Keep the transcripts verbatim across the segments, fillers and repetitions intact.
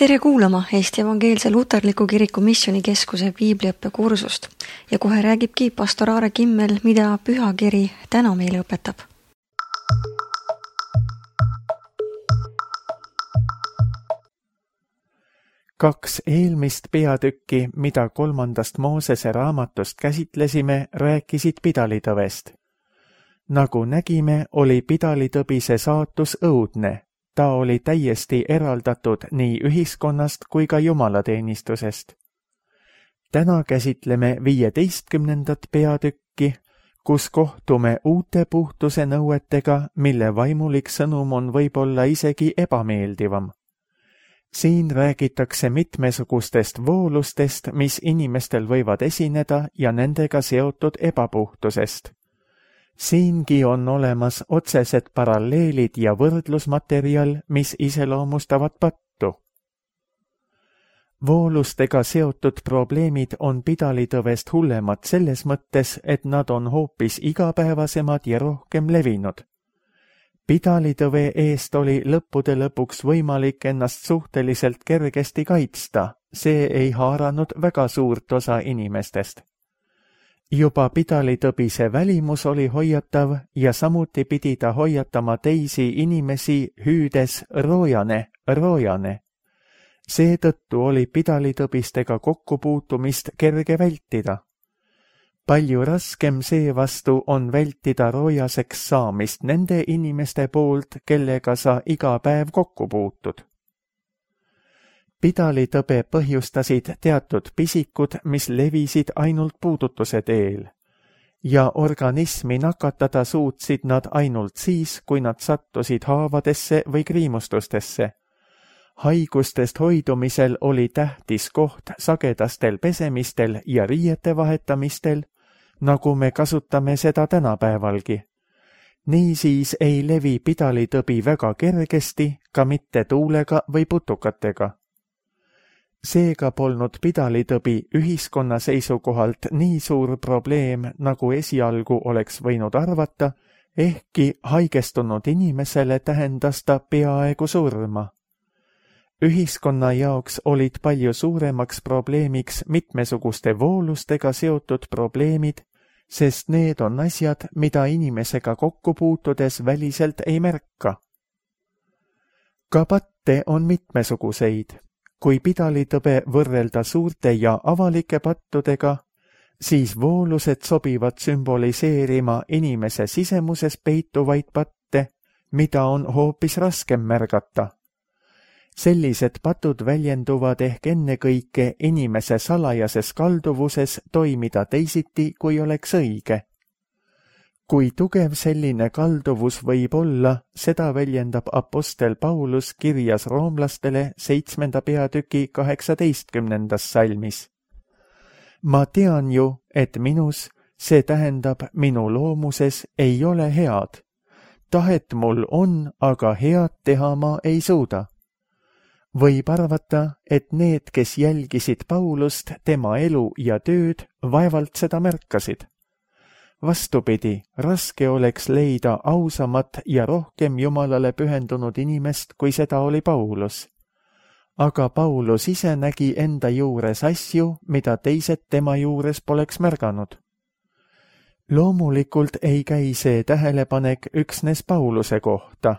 Tere kuulama Eesti Evangeelse Luterliku Kiriku Missioonikeskuse piibliõppekursust ja kohe räägibki pastor Aare Kimmel, mida pühakiri täna meile õpetab. Kaks eelmist peatükki, mida kolmandast Moosese raamatust käsitlesime, rääkisid pidalitõvest. Nagu nägime, oli pidalitõbise saatus õudne. Ta oli täiesti eraldatud nii ühiskonnast kui ka jumalateenistusest. Täna käsitleme viieteistkümnendat peatükki, kus kohtume uute puhtuse nõuetega, mille vaimulik sõnum on võib-olla isegi ebameeldivam. Siin räägitakse mitmesugustest voolustest, mis inimestel võivad esineda ja nendega seotud ebapuhtusest. Siingi on olemas otsesed paralleelid ja võrdlusmaterjal, mis iseloomustavad pattu. Voolustega seotud probleemid on pidalitõvest hullemad selles mõttes, et nad on hoopis igapäevasemad ja rohkem levinud. Pidalitõve eest oli lõppude lõpuks võimalik ennast suhteliselt kergesti kaitsta, see ei haaranud väga suurt osa inimestest. Juba pidalitõbise välimus oli hoiatav ja samuti pidi ta hoiatama teisi inimesi hüüdes roojane, roojane. Seetõttu oli pidalitõbistega kokkupuutumist kerge vältida. Palju raskem seevastu on vältida roojaseks saamist nende inimeste poolt, kellega sa iga päev kokku puutud. Pidalitõbe põhjustasid teatud pisikud, mis levisid ainult puudutuse teel. Ja organismi nakatada suutsid nad ainult siis, kui nad sattusid haavadesse või kriimustustesse. Haigustest hoidumisel oli tähtis koht sagedastel pesemistel ja riiete vahetamistel, nagu me kasutame seda tänapäevalgi. Niisiis ei levi pidalitõbi väga kergesti, ka mitte tuulega või putukatega. Seega polnud pidalitõbi ühiskonna seisukohalt nii suur probleem, nagu esialgu oleks võinud arvata, ehkki haigestunud inimesele tähendas ta peaaegu surma. Ühiskonna jaoks olid palju suuremaks probleemiks mitmesuguste voolustega seotud probleemid, sest need on asjad, mida inimesega kokku puutudes väliselt ei märka. Ka patte on mitmesuguseid. Kui pidalitõbe võrrelda suurte ja avalike pattudega, siis voolused sobivad sümboliseerima inimese sisemuses peituvaid patte, mida on hoopis raskem märgata. Sellised patud väljenduvad ehk ennekõike inimese salajases kalduvuses toimida teisiti, kui oleks õige. Kui tugev selline kalduvus võib olla, seda väljendab apostel Paulus kirjas roomlastele seitsmenda peatüki kaheksateistkümnendas salmis. Ma tean ju, et minus, see tähendab minu loomuses, ei ole head. Tahet mul on, aga head teha ma ei suuda. Võib arvata, et need, kes jälgisid Paulust, tema elu ja tööd, vaevalt seda märkasid. Vastupidi, raske oleks leida ausamat ja rohkem Jumalale pühendunud inimest, kui seda oli Paulus. Aga Paulus ise nägi enda juures asju, mida teised tema juures poleks märganud. Loomulikult ei käi see tähelepanek üksnes Pauluse kohta.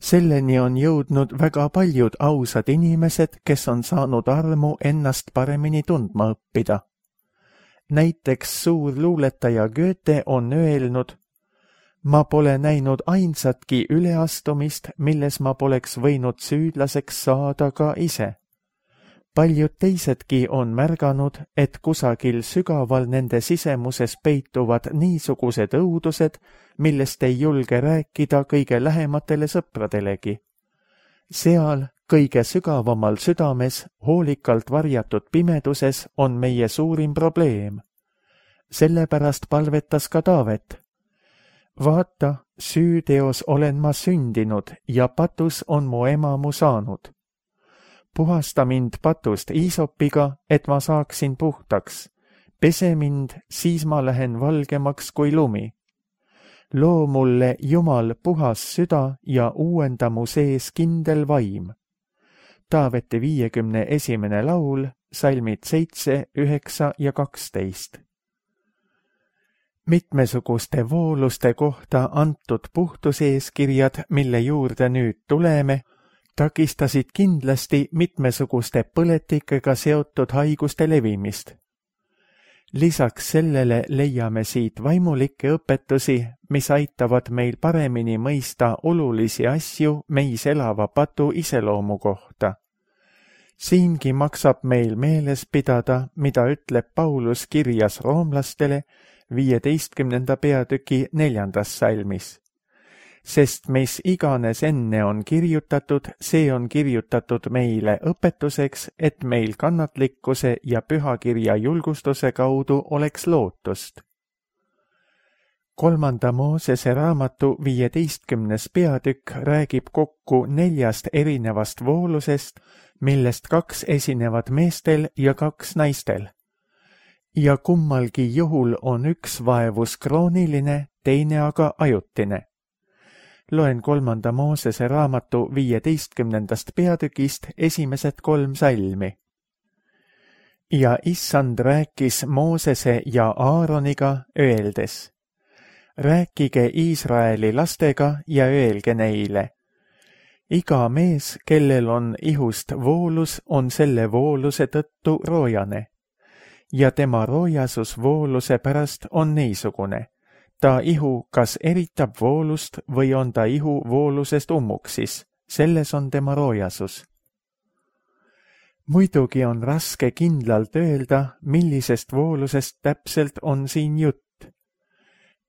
Selleni on jõudnud väga paljud ausad inimesed, kes on saanud armu ennast paremini tundma õppida. Näiteks suur luuletaja Goethe on öelnud, ma pole näinud ainsatki üleastumist, milles ma poleks võinud süüdlaseks saada ka ise. Paljud teisedki on märganud, et kusagil sügaval nende sisemuses peituvad niisugused õudused, millest ei julge rääkida kõige lähematele sõpradelegi. Seal, kõige sügavamal südames, hoolikalt varjatud pimeduses on meie suurim probleem. Sellepärast palvetas ka Taavet. Vaata, süüteos olen ma sündinud ja patus on mu ema mu saanud. Puhasta mind patust iisopiga, et ma saaksin puhtaks. Pese mind, siis ma lähen valgemaks kui lumi. Loo mulle, Jumal, puhas süda ja uuenda mu sees kindel vaim. Taaveti viiekümne esimene laul, salmid seitse, üheksa ja kaksteist. Mitmesuguste vooluste kohta antud puhtuseeskirjad, mille juurde nüüd tuleme, takistasid kindlasti mitmesuguste põletikega seotud haiguste levimist. Lisaks sellele leiame siit vaimulikke õpetusi, mis aitavad meil paremini mõista olulisi asju meis elava patu iseloomu kohta. Siingi maksab meil meeles pidada, mida ütleb Paulus kirjas roomlastele viieteistkümnenda peatüki neljandas salmis. Sest mis iganes enne on kirjutatud, see on kirjutatud meile õpetuseks, et meil kannatlikkuse ja pühakirja julgustuse kaudu oleks lootust. Kolmanda Moosese raamatu viieteistkümnes peatükk räägib kokku neljast erinevast voolusest, millest kaks esinevad meestel ja kaks naistel. Ja kummalgi juhul on üks vaevus krooniline, teine aga ajutine. Loen kolmanda Moosese raamatu viieteistkümnendast peatükist esimesed kolm salmi. Ja issand rääkis Moosese ja Aaroniga öeldes: rääkige Iisraeli lastega ja öelge neile: iga mees, kellel on ihust voolus, on selle vooluse tõttu roojane. Ja tema roojasus vooluse pärast on niisugune. Ta ihu kas eritab voolust või on ta ihu voolusest ummuksis, selles on tema roojasus. Muidugi on raske kindlalt öelda, millisest voolusest täpselt on siin jutt.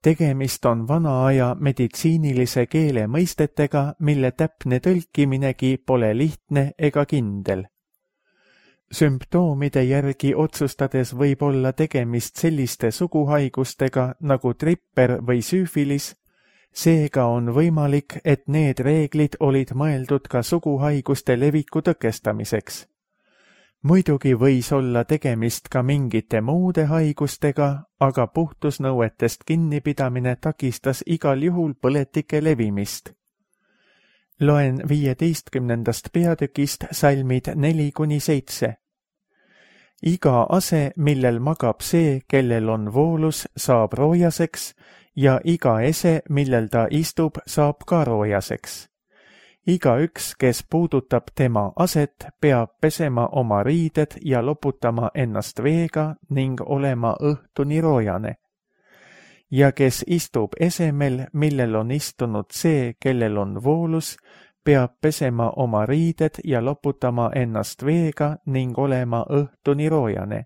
Tegemist on vana aja meditsiinilise keele mõistetega, mille täpne tõlkiminegi pole lihtne ega kindel. Sümptoomide järgi otsustades võib olla tegemist selliste suguhaigustega nagu tripper või süüfilis, seega on võimalik, et need reeglid olid mõeldud ka suguhaiguste leviku tõkestamiseks. Muidugi võis olla tegemist ka mingite muude haigustega, aga puhtusnõuetest kinnipidamine takistas igal juhul põletike levimist. Loen viieteistkümnendast peatükist salmid neli kuni seitse. Iga ase, millel magab see, kellel on voolus, saab roojaseks ja iga ese, millel ta istub, saab ka roojaseks. Iga üks, kes puudutab tema aset, peab pesema oma riided ja loputama ennast veega ning olema õhtuni roojane. Ja kes istub esemel, millel on istunud see, kellel on voolus, peab pesema oma riided ja loputama ennast veega ning olema õhtuni roojane.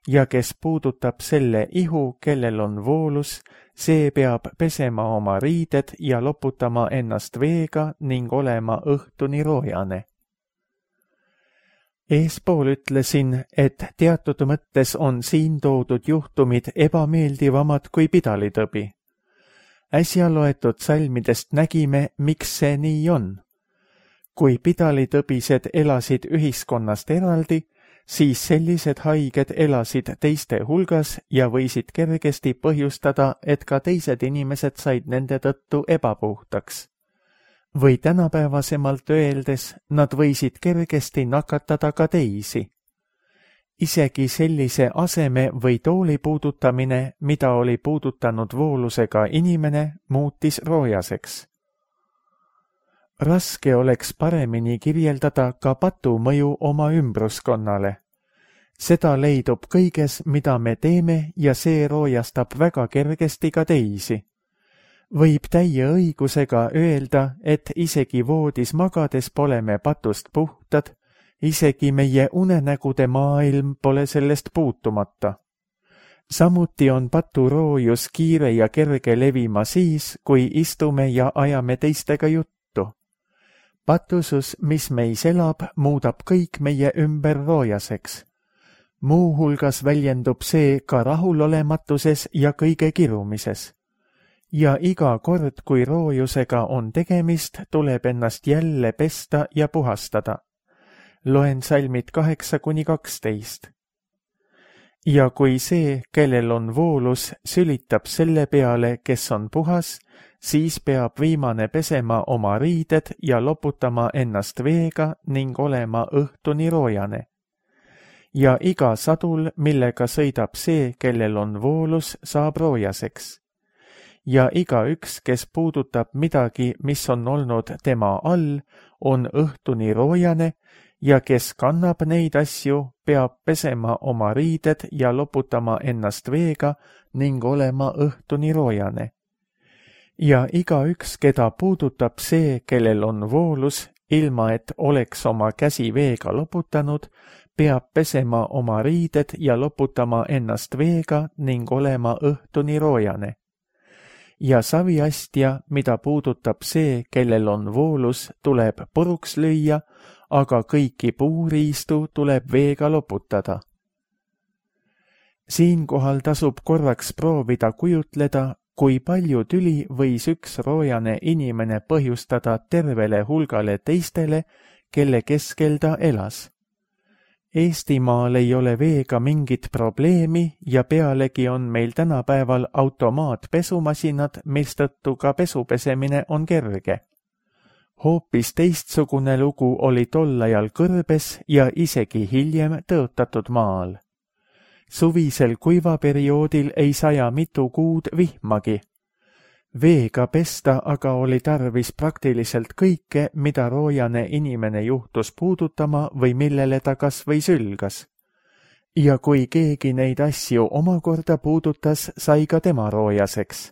Ja kes puudutab selle ihu, kellel on voolus, see peab pesema oma riided ja loputama ennast veega ning olema õhtuni roojane. Eespool ütlesin, et teatud mõttes on siin toodud juhtumid ebameeldivamad kui pidalitõbi. Äsja loetud salmidest nägime, miks see nii on. Kui pidalitõbised elasid ühiskonnast eraldi, siis sellised haiged elasid teiste hulgas ja võisid kergesti põhjustada, et ka teised inimesed said nende tõttu ebapuhtaks. Või tänapäevasemalt öeldes, nad võisid kergesti nakatada ka teisi. Isegi sellise aseme või tooli puudutamine, mida oli puudutanud voolusega inimene, muutis roojaseks. Raske oleks paremini kirjeldada ka patu mõju oma ümbruskonnale. Seda leidub kõiges, mida me teeme ja see roojastab väga kergesti ka teisi. Võib täie õigusega öelda, et isegi voodis magades pole me patust puhtad, isegi meie unenägude maailm pole sellest puutumata. Samuti on paturoojus kiire ja kerge levima siis, kui istume ja ajame teistega juttu. Patusus, mis meis elab, muudab kõik meie ümber roojaseks. Muuhulgas väljendub see ka rahulolematuses ja kõige kirumises. Ja iga kord, kui roojusega on tegemist, tuleb ennast jälle pesta ja puhastada. Loen salmid kaheksa kuni kaksteist. ja kui see, kellel on voolus, sülitab selle peale, kes on puhas, siis peab viimane pesema oma riided ja loputama ennast veega ning olema õhtuni roojane. Ja iga sadul, millega sõidab see, kellel on voolus, saab roojaseks. Ja igaüks, kes puudutab midagi, mis on olnud tema all, on õhtuni roojane, ja kes kannab neid asju, peab pesema oma riided ja loputama ennast veega ning olema õhtuni roojane. Ja igaüks, keda puudutab see, kellel on voolus, ilma et oleks oma käsi veega loputanud, peab pesema oma riided ja loputama ennast veega ning olema õhtuni roojane. Ja saviastja, mida puudutab see, kellel on voolus, tuleb puruks lüüa, aga kõiki puuriistu tuleb veega loputada. Siinkohal tasub korraks proovida kujutleda, kui palju tüli võis üks roojane inimene põhjustada tervele hulgale teistele, kelle keskel ta elas. Eestimaal ei ole veega mingit probleemi ja pealegi on meil tänapäeval automaatpesumasinad, mistõttu ka pesupesemine on kerge. Hoopis teistsugune lugu oli tol ajal kõrbes ja isegi hiljem tõotatud maal. Suvisel kuivaperioodil ei saja mitu kuud vihmagi. Veega pesta aga oli tarvis praktiliselt kõike, mida roojane inimene juhtus puudutama või millele ta kas või sülgas. Ja kui keegi neid asju omakorda puudutas, sai ka tema roojaseks.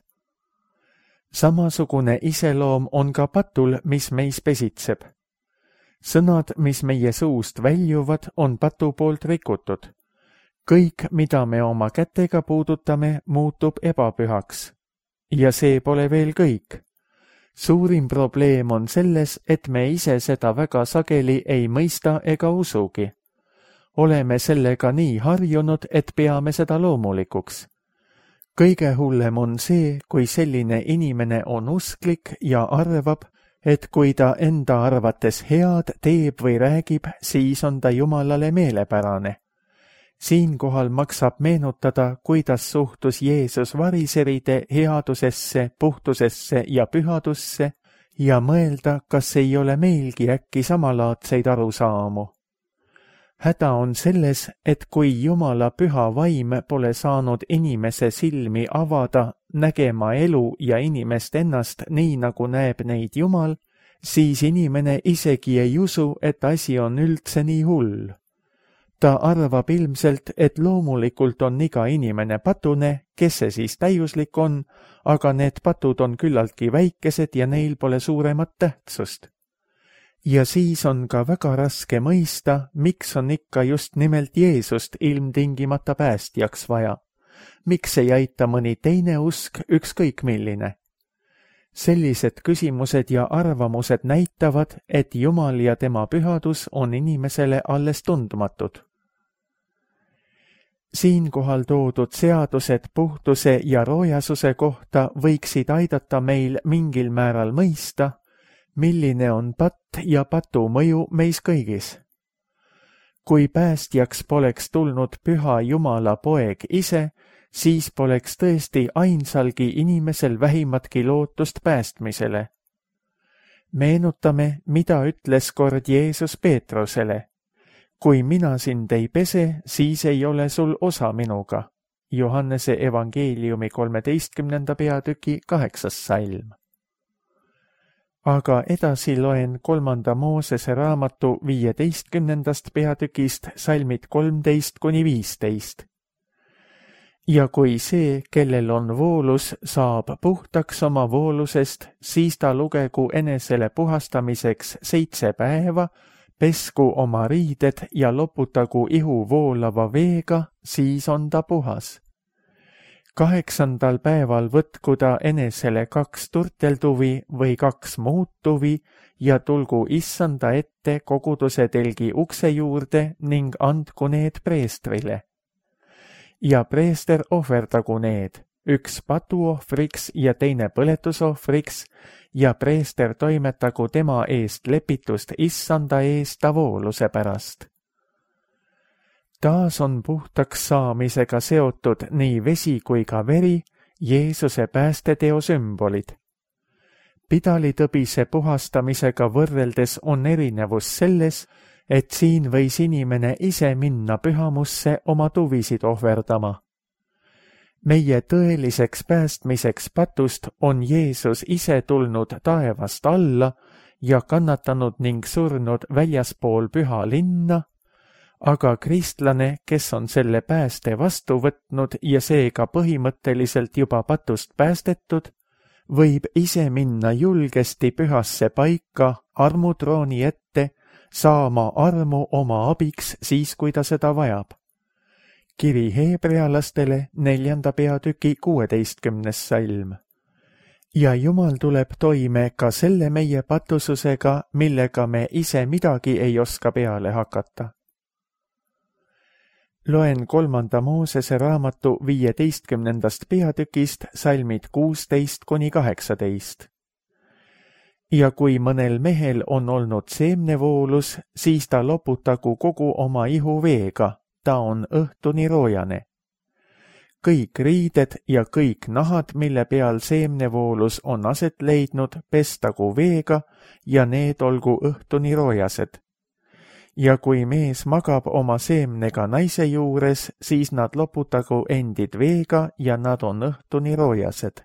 Samasugune iseloom on ka patul, mis meis pesitseb. Sõnad, mis meie suust väljuvad, on patu poolt rikutud. Kõik, mida me oma kätega puudutame, muutub ebapühaks. Ja see pole veel kõik. Suurim probleem on selles, et me ise seda väga sageli ei mõista ega usugi. Oleme sellega nii harjunud, et peame seda loomulikuks. Kõige hullem on see, kui selline inimene on usklik ja arvab, et kui ta enda arvates head teeb või räägib, siis on ta Jumalale meelepärane. Siinkohal maksab meenutada, kuidas suhtus Jeesus variseride headusesse, puhtusesse ja pühadusse ja mõelda, kas ei ole meilgi äkki samalaadseid arusaamu. Häda on selles, et kui Jumala püha vaim pole saanud inimese silmi avada, nägema elu ja inimest ennast nii, nagu näeb neid Jumal, siis inimene isegi ei usu, et asi on üldse nii hull. Ta arvab ilmselt, et loomulikult on iga inimene patune, kes see siis täiuslik on, aga need patud on küllaltki väikesed ja neil pole suuremat tähtsust. Ja siis on ka väga raske mõista, miks on ikka just nimelt Jeesust ilmtingimata päästjaks vaja. Miks ei aita mõni teine usk, ükskõik milline? Sellised küsimused ja arvamused näitavad, et Jumal ja tema pühadus on inimesele alles tundmatud. Siinkohal toodud seadused puhtuse ja roojasuse kohta võiksid aidata meil mingil määral mõista, milline on patt ja patu mõju meis kõigis. Kui päästjaks poleks tulnud püha Jumala poeg ise, siis poleks tõesti ainsalgi inimesel vähimatki lootust päästmisele. Meenutame, mida ütles kord Jeesus Peetrusele. Kui mina sind ei pese, siis ei ole sul osa minuga. Johannese evangeeliumi kolmeteistkümnenda peatüki kaheksas salm. Aga edasi loen kolmanda Moosese raamatu viieteistkümnendast peatükist salmid kolmteist kuni viisteist. Ja kui see, kellel on voolus, saab puhtaks oma voolusest, siis ta lugegu enesele puhastamiseks seitse päeva, pesku oma riided ja loputagu ihu voolava veega, siis on ta puhas. Kaheksandal päeval võtku ta enesele kaks turteltuvi või kaks muud tuvi ja tulgu issanda ette koguduse telgi ukse juurde ning andku need preestrile. Ja preester ohverdagu need, üks patuohvriks ja teine põletusohvriks, ja preester toimetagu tema eest lepitust issanda eest ta vooluse pärast. taas on puhtaks saamisega seotud nii vesi kui ka veri, Jeesuse päästeteo sümbolid. Pidalitõbise puhastamisega võrreldes on erinevus selles, et siin võis inimene ise minna pühamusse oma tuvisid ohverdama. Meie tõeliseks päästmiseks patust on Jeesus ise tulnud taevast alla ja kannatanud ning surnud väljaspool püha linna, aga kristlane, kes on selle pääste vastu võtnud ja seega põhimõtteliselt juba patust päästetud, võib ise minna julgesti pühasse paika armutrooni ette, saama armu oma abiks siis, kui ta seda vajab. Kiri heebrealastele neljanda peatüki kuueteistkümnes salm. Ja Jumal tuleb toime ka selle meie patususega, millega me ise midagi ei oska peale hakata. Loen kolmanda Moosese raamatu viieteistkümnendast peatükist salmid kuusteist kuni kaheksateist. Ja kui mõnel mehel on olnud seemnevoolus, siis ta loputagu kogu oma ihu veega, ta on õhtuni roojane. Kõik riided ja kõik nahad, mille peal seemnevoolus on aset leidnud, pestagu veega ja need olgu õhtuni roojased. Ja kui mees magab oma seemnega naise juures, siis nad loputagu endid veega ja nad on õhtuni roojased.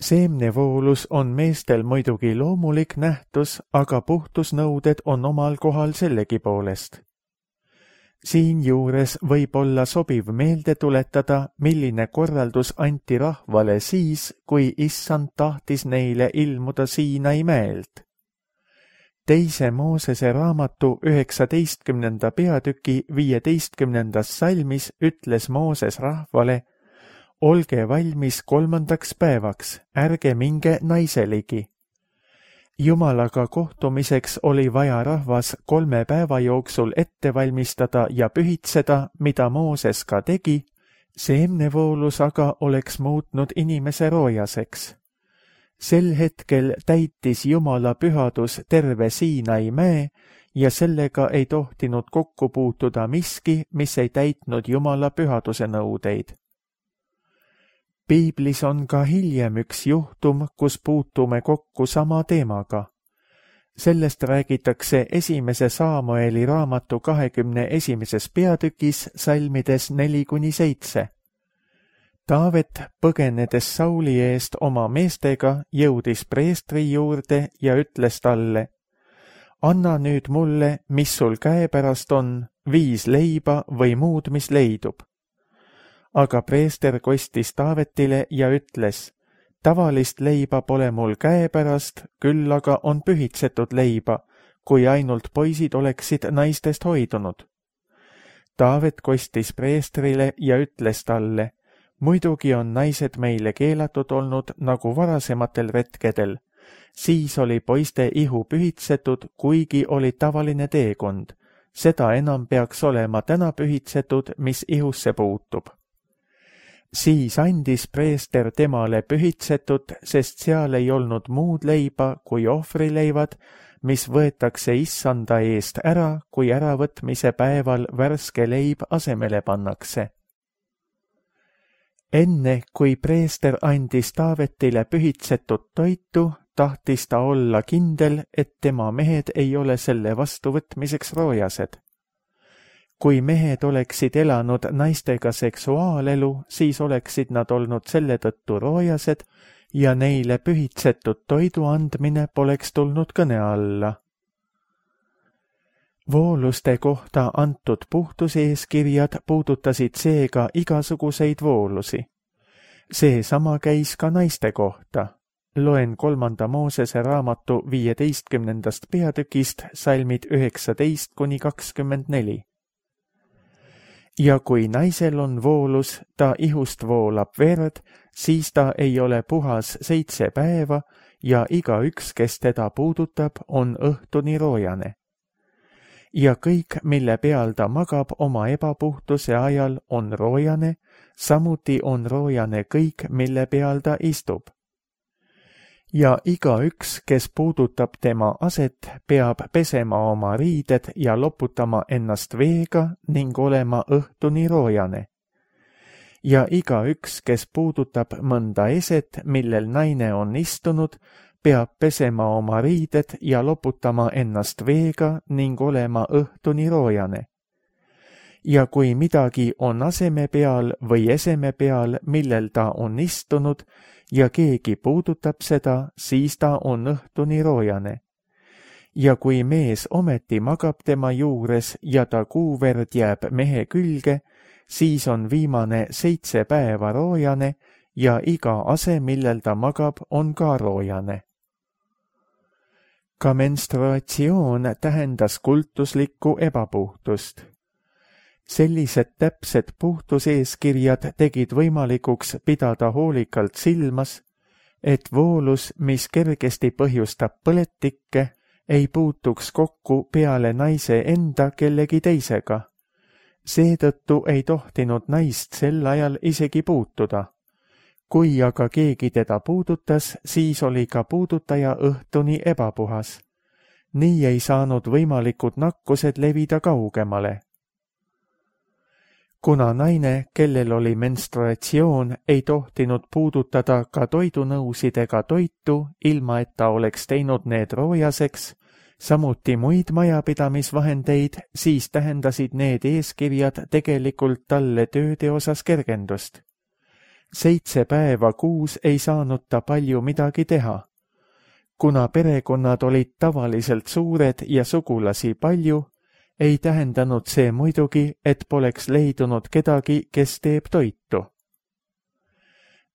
Seemnevoolus on meestel muidugi loomulik nähtus, aga puhtusnõuded on omal kohal sellegi poolest. Siinjuures võib olla sobiv meelde tuletada, milline korraldus anti rahvale siis, kui Issand tahtis neile ilmuda Siinai mäelt. Teise Moosese raamatu üheksateistkümnenda peatüki viieteistkümnendas salmis ütles Mooses rahvale: olge valmis kolmandaks päevaks, ärge minge naise ligi. Jumalaga kohtumiseks oli vaja rahvas kolme päeva jooksul ette valmistada ja pühitseda, mida Mooses ka tegi, seemnevoolus aga oleks muutnud inimese roojaseks. Sel hetkel täitis Jumala pühadus terve Siinai mäe ja sellega ei tohtinud kokku puutuda miski, mis ei täitnud Jumala pühaduse nõudeid. Piiblis on ka hiljem üks juhtum, kus puutume kokku sama teemaga. Sellest räägitakse esimese Saamueli raamatu kahekümne esimeses peatükis salmides neli kuni seitse. Taavet, põgenedes Sauli eest oma meestega, jõudis preestri juurde ja ütles talle: anna nüüd mulle, mis sul käepärast on, viis leiba või muud, mis leidub. Aga preester kostis Taavetile ja ütles: tavalist leiba pole mul käepärast, küll aga on pühitsetud leiba, kui ainult poisid oleksid naistest hoidunud. Taavet kostis preestrile ja ütles talle: muidugi on naised meile keelatud olnud nagu varasematel retkedel, siis oli poiste ihu pühitsetud, kuigi oli tavaline teekond, seda enam peaks olema täna pühitsetud, mis ihusse puutub. Siis andis preester temale pühitsetud, sest seal ei olnud muud leiba kui ohvrileivad, mis võetakse issanda eest ära, kui äravõtmise päeval värske leib asemele pannakse. Enne, kui preester andis Taavetile pühitsetud toitu, tahtis ta olla kindel, et tema mehed ei ole selle vastuvõtmiseks roojased. Kui mehed oleksid elanud naistega seksuaalelu, siis oleksid nad olnud selle tõttu roojased ja neile pühitsetud toidu andmine poleks tulnud kõne alla. Vooluste kohta antud puhtuseeskirjad puudutasid seega igasuguseid voolusi. Seesama käis ka naiste kohta. Loen kolmanda Moosese raamatu viieteistkümnendast peatükist salmid üheksateist kuni kakskümmend neli. Ja kui naisel on voolus, ta ihust voolab verd, siis ta ei ole puhas seitse päeva ja igaüks, kes teda puudutab, on õhtuni roojane. Ja kõik, mille peal ta magab oma ebapuhtuse ajal, on roojane, samuti on roojane kõik, mille peal ta istub. ja igaüks, kes puudutab tema aset, peab pesema oma riided ja loputama ennast veega ning olema õhtuni roojane. Ja igaüks, kes puudutab mõnda eset, millel naine on istunud, peab pesema oma riided ja loputama ennast veega ning olema õhtuni roojane. Ja kui midagi on aseme peal või eseme peal, millel ta on istunud, ja keegi puudutab seda, siis ta on õhtuni roojane. Ja kui mees ometi magab tema juures ja ta kuuverd jääb mehe külge, siis on viimane seitse päeva roojane ja iga ase, millel ta magab, on ka roojane. Ka menstruatsioon tähendas kultuslikku ebapuhtust. Sellised täpsed puhtuseeskirjad tegid võimalikuks pidada hoolikalt silmas, et voolus, mis kergesti põhjustab põletikke, ei puutuks kokku peale naise enda kellegi teisega. Seetõttu ei tohtinud naist sel ajal isegi puutuda. Kui aga keegi teda puudutas, siis oli ka puudutaja õhtuni ebapuhas. Nii ei saanud võimalikud nakkused levida kaugemale. Kuna naine, kellel oli menstruatsioon, ei tohtinud puudutada ka toidunõusidega toitu, ilma et ta oleks teinud need roojaseks, samuti muid majapidamisvahendeid, siis tähendasid need eeskirjad tegelikult talle tööde osas kergendust. Seitse päeva kuus ei saanud ta palju midagi teha. Kuna perekonnad olid tavaliselt suured ja sugulasi palju, ei tähendanud see muidugi, et poleks leidunud kedagi, kes teeb toitu.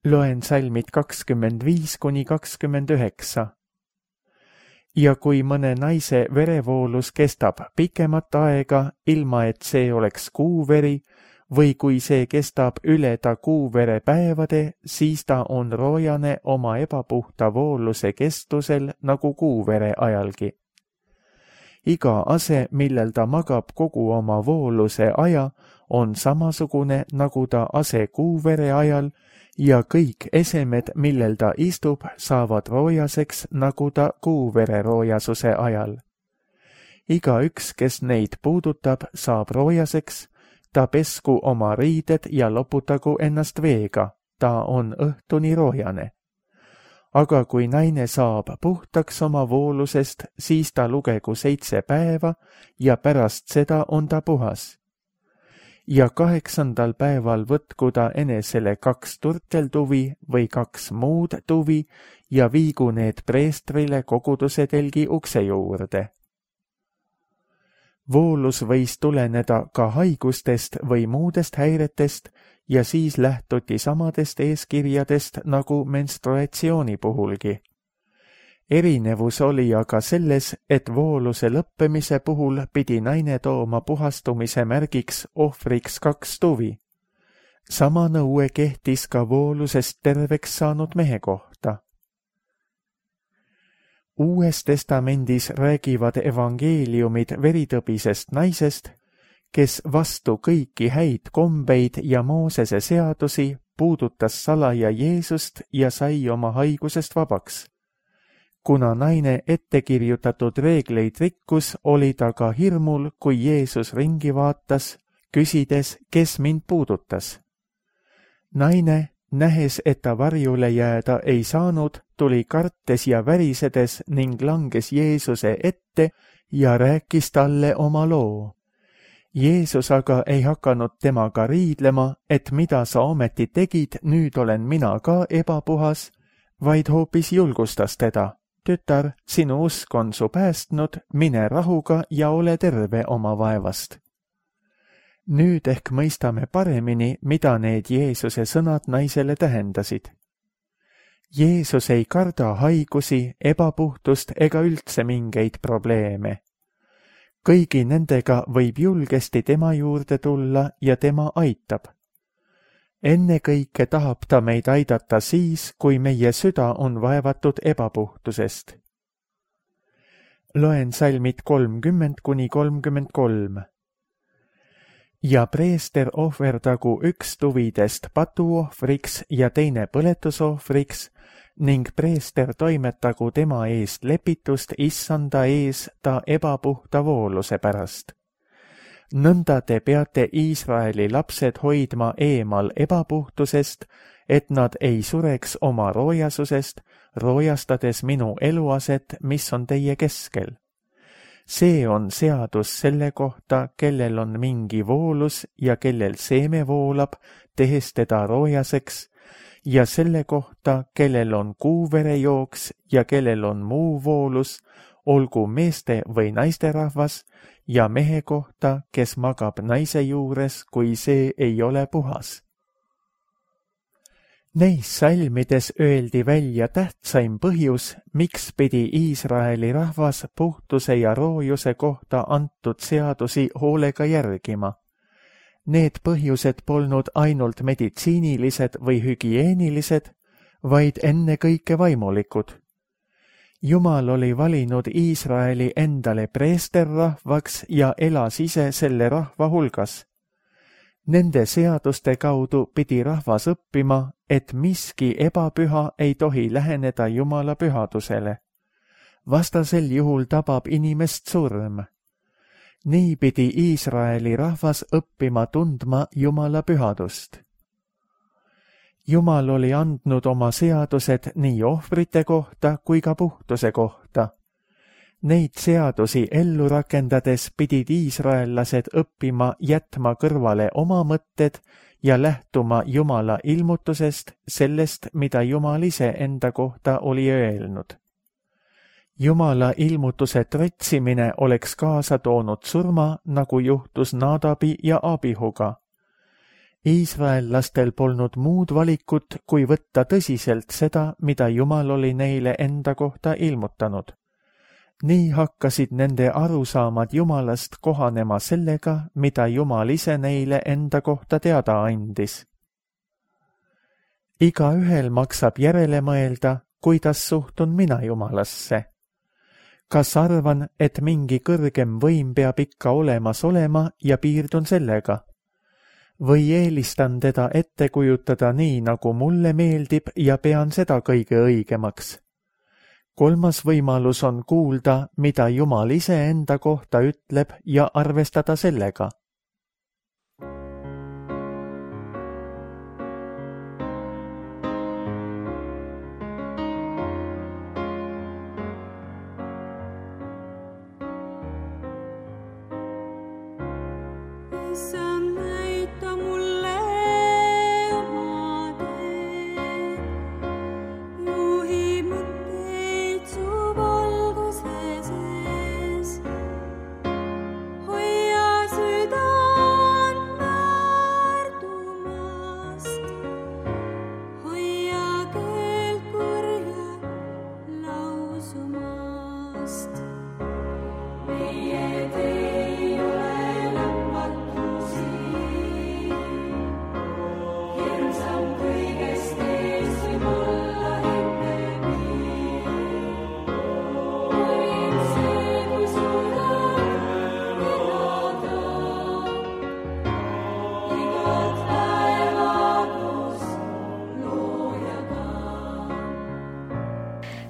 Loen salmid kakskümmend viis kuni kakskümmend üheksa. Ja kui mõne naise verevoolus kestab pikemat aega, ilma et see oleks kuuveri, või kui see kestab üle ta kuuvere päevade, siis ta on roojane oma ebapuhta vooluse kestusel nagu kuuvere ajalgi. Iga ase, millel ta magab kogu oma vooluse aja, on samasugune nagu ta ase kuuvere ajal ja kõik esemed, millel ta istub, saavad roojaseks nagu ta kuuvere roojasuse ajal. Igaüks, kes neid puudutab, saab roojaseks, ta pesku oma riided ja loputagu ennast veega, ta on õhtuni roojane. Aga kui naine saab puhtaks oma voolusest, siis ta lugegu seitse päeva ja pärast seda on ta puhas. Ja kaheksandal päeval võtku ta enesele kaks turteltuvi või kaks muud tuvi ja viigu need preestrile koguduse telgi ukse juurde. Voolus võis tuleneda ka haigustest või muudest häiretest ja siis lähtuti samadest eeskirjadest nagu menstruatsiooni puhulgi. Erinevus oli aga selles, et vooluse lõppemise puhul pidi naine tooma puhastumise märgiks ohvriks kaks tuvi. Sama nõue kehtis ka voolusest terveks saanud mehe kohta. Uues testamendis räägivad evangeeliumid veritõbisest naisest, kes vastu kõiki häid kombeid ja Moosese seadusi puudutas salaja Jeesust ja sai oma haigusest vabaks. Kuna naine ettekirjutatud reegleid rikkus, oli ta ka hirmul, kui Jeesus ringi vaatas, küsides, kes mind puudutas. Naine, nähes, et ta varjule jääda ei saanud, tuli kartes ja värisedes ning langes Jeesuse ette ja rääkis talle oma loo. Jeesus aga ei hakanud temaga riidlema, et mida sa ometi tegid, nüüd olen mina ka ebapuhas, vaid hoopis julgustas teda. Tütar, sinu usk on su päästnud, mine rahuga ja ole terve oma vaevast. Nüüd ehk mõistame paremini, mida need Jeesuse sõnad naisele tähendasid. Jeesus ei karda haigusi, ebapuhtust ega üldse mingeid probleeme. Kõigi nendega võib julgesti tema juurde tulla ja tema aitab. Ennekõike tahab ta meid aidata siis, kui meie süda on vaevatud ebapuhtusest. Loen salmid kolmkümmend kuni kolmkümmend kolm. Ja preester ohverdagu üks tuvidest patuohvriks ja teine põletusohvriks ning preester toimetagu tema eest lepitust issanda ees ta ebapuhta vooluse pärast. Nõnda te peate Iisraeli lapsed hoidma eemal ebapuhtusest, et nad ei sureks oma roojasusest, roojastades minu eluaset, mis on teie keskel. See on seadus selle kohta, kellel on mingi voolus ja kellel seeme voolab, tehes teda roojaseks, ja selle kohta, kellel on kuuverejooks ja kellel on muu voolus, olgu meeste või naisterahvas, ja mehe kohta, kes magab naise juures, kui see ei ole puhas. Neis salmides öeldi välja tähtsaim põhjus, miks pidi Iisraeli rahvas puhtuse ja roojuse kohta antud seadusi hoolega järgima. Need põhjused polnud ainult meditsiinilised või hügieenilised, vaid ennekõike vaimulikud. Jumal oli valinud Iisraeli endale preesterrahvaks ja elas ise selle rahva hulgas. Nende seaduste kaudu pidi rahvas õppima, et miski ebapüha ei tohi läheneda Jumala pühadusele. Vastasel juhul tabab inimest surm. Nii pidi Iisraeli rahvas õppima tundma Jumala pühadust. Jumal oli andnud oma seadused nii ohvrite kohta kui ka puhtuse kohta. Neid seadusi ellu rakendades pidid iisraellased õppima jätma kõrvale oma mõtted ja lähtuma Jumala ilmutusest, sellest, mida Jumal ise enda kohta oli öelnud. Jumala ilmutuse tretsimine oleks kaasa toonud surma, nagu juhtus Nadabi ja Abihuga. Iisraellastel polnud muud valikut, kui võtta tõsiselt seda, mida Jumal oli neile enda kohta ilmutanud. Nii hakkasid nende arusaamad Jumalast kohanema sellega, mida Jumal ise neile enda kohta teada andis. Igaühel maksab järele mõelda, kuidas suhtun mina Jumalasse. Kas arvan, et mingi kõrgem võim peab ikka olemas olema ja piirdun sellega? Või eelistan teda ette kujutada nii, nagu mulle meeldib ja pean seda kõige õigemaks? Kolmas võimalus on kuulda, mida Jumal ise enda kohta ütleb ja arvestada sellega.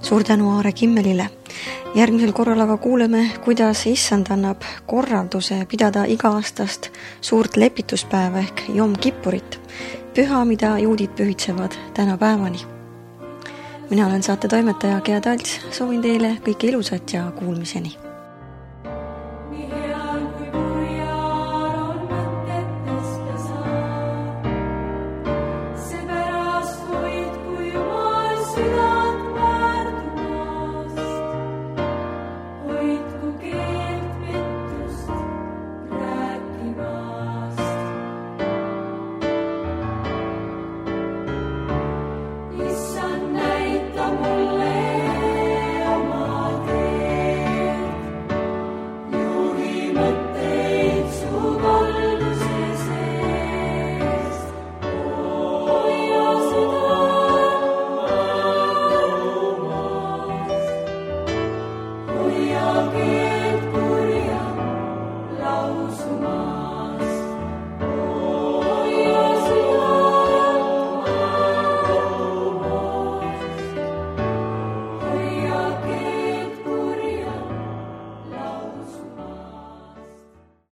Suur tänu Aare Kimmelile. Järgmisel korral aga kuuleme, kuidas issand annab korralduse pidada iga-aastast suurt lepituspäeva ehk Jom Kippurit, püha, mida juudid pühitsevad tänapäevani. Mina olen saate toimetaja Gea Talts, soovin teile kõike ilusat ja kuulmiseni. Ja keelt kurja lausuma.